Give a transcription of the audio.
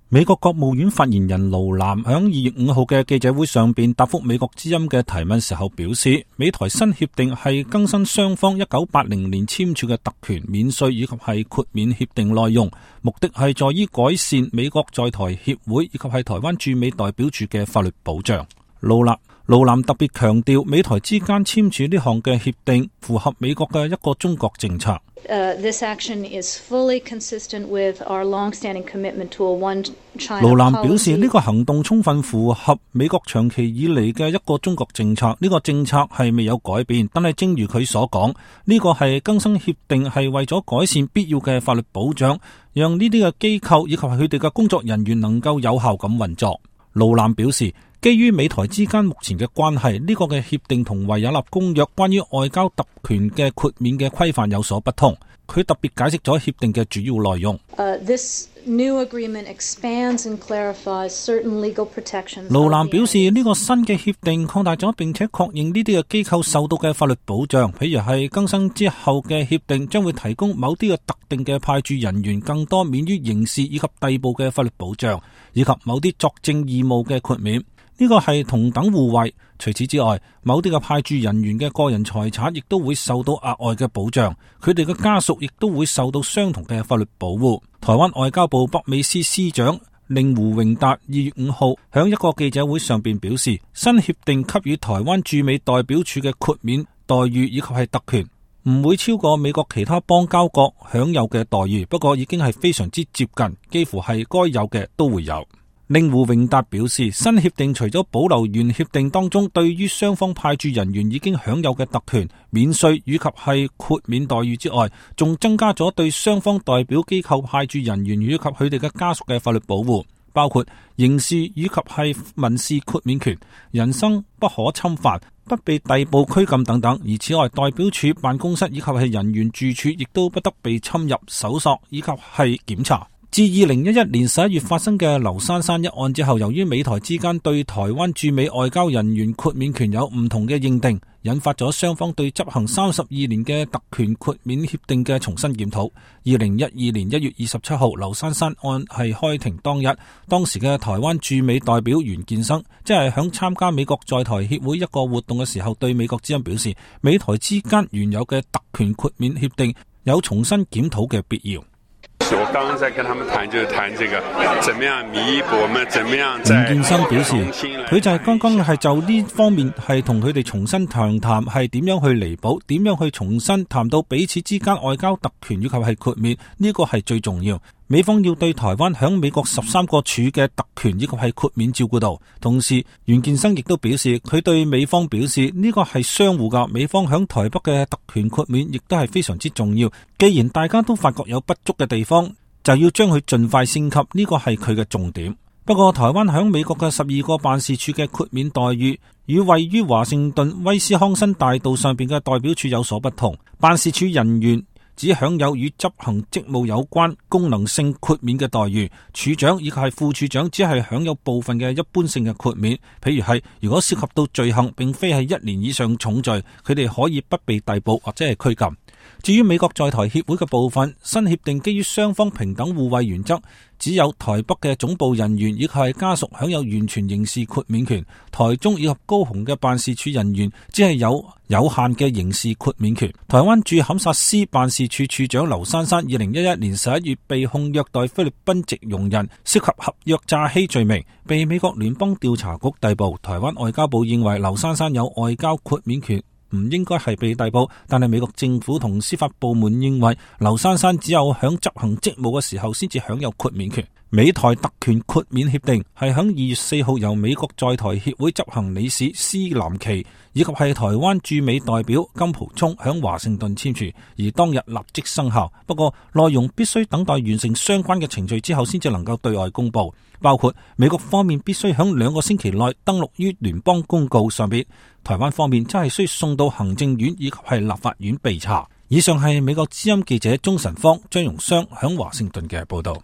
美國國務院發言人盧藍響2月5號嘅記者會上邊答覆美國之音嘅提問時候表示，美台新協定係更新雙方1980年簽署嘅特權免稅以及係豁免協定內容，目的係在於改善美國在台協會以及係台灣駐美代表處嘅法律保障。盧藍特別強調，美台之間簽署呢項嘅協定符合美國嘅一個中國政策。This action is fully consistent with our long-standing commitment to a one China policy. 盧藍表示，呢個行動充分符合美國長期以嚟嘅一個中國政策。呢個政策係未有改變，但係正如佢所講，呢個係更新協定係為咗改善必要嘅法律保障，讓呢啲嘅機構以及佢哋嘅工作人員能夠有效咁運作。盧藍表示，基於美台之間目前嘅關係，呢個嘅協定同維也納公約關於外交特權嘅豁免嘅規範有所不同。佢特別解釋咗協定嘅主要內容。This new agreement expands and clarifies certain legal protections. 盧藍表示，呢個新嘅協定擴大咗並且確認呢啲嘅機構受到嘅法律保障，譬如係更新之後嘅協定將會提供某啲嘅特定嘅派駐人員更多免於刑事以及逮捕嘅法律保障，以及某啲作證義務嘅豁免。呢個係同等互惠。除此之外，某啲嘅派駐人員嘅個人財產亦都會受到額外嘅保障，佢哋嘅家屬亦都會受到相同嘅法律保護。台灣外交部北美司司長令狐榮達2月5號響一個記者會上邊表示，新協定給予台灣駐美代表處嘅豁免待遇以及係特權，唔會超過美國其他邦交國享有嘅待遇，不過已經係非常之接近，幾乎係該有嘅都會有。令狐榮達表示，新協定除咗保留原協定當中對於雙方派駐人員已經享有嘅特權、免稅以及係豁免待遇之外，仲增加咗對雙方代表機構派駐人員以及佢哋嘅家屬嘅法律保護，包括刑事以及係民事豁免權、人身不可侵犯、不被逮捕拘禁等等。而此外，代表處辦公室以及係人員住處亦都不得被侵入、搜索以及係檢查。自2011年11月發生嘅劉珊珊一案之後，由於美台之間對台灣駐美外交人員豁免權有唔同嘅認定，引發咗雙方對執行32年嘅特權豁免協定嘅重新檢討。2012年1月27號，劉珊珊案係開庭當日，當時嘅台灣駐美代表袁建生，即係響參加美國在台協會一個活動嘅時候，對美國之音表示，美台之間原有嘅特權豁免協定有重新檢討嘅必要。我剛剛在跟他們談，就是談這個怎麼樣彌補，我們怎麼樣在。袁建生表示，佢就係剛剛係就呢方面係同佢哋重新談談，係點樣去彌補，點樣去重新談到彼此之間外交特權以及係豁免，呢個係最重要。美方要對台灣響美國13個處嘅特權以及係豁免照顧到，同時袁建生亦都表示，佢對美方表示呢個係相互噶，美方響台北嘅特權豁免亦都係非常之重要。既然大家都發覺有不足嘅地方，就要將佢盡快升級，呢個係佢嘅重點。不過台灣響美國嘅12個辦事處嘅豁免待遇，與位於華盛頓威斯康辛大道上邊嘅代表處有所不同，辦事處人員只享有與執行職務有關功能性豁免嘅待遇，處長以及係副處長只係享有部分嘅一般性嘅豁免，譬如係如果涉及到罪行並非係1年以上重罪，佢哋可以不被逮捕或者係拘禁。至於美國在台協會嘅部分，新協定基於雙方平等互惠原則，只有台北嘅總部人員以及係家屬享有完全刑事豁免權，台中以及高雄嘅辦事處人員只係有限嘅刑事豁免權。台灣駐堪薩斯辦事處處長劉珊珊2011年11月被控虐待菲律賓籍傭人，涉及合約詐欺罪名，被美國聯邦調查局逮捕。台灣外交部認為劉珊珊有外交豁免權，唔應該係被逮捕，但係美國政府同司法部門認為劉珊珊只有響執行職務嘅時候先至享有豁免權。美台特權豁免協定係響2月4號由美國在台協會執行理事施南琪以及係台灣駐美代表金溥聰響華盛頓簽署，而當日立即生效。不過內容必須等待完成相關嘅程序之後先至能夠對外公布，包括美國方面必須響2個星期內登錄於聯邦公告上邊，台灣方面則係需送到行政院以及係立法院備查。以上係美國之音記者鍾晨芳、張榮湘響華盛頓嘅報道。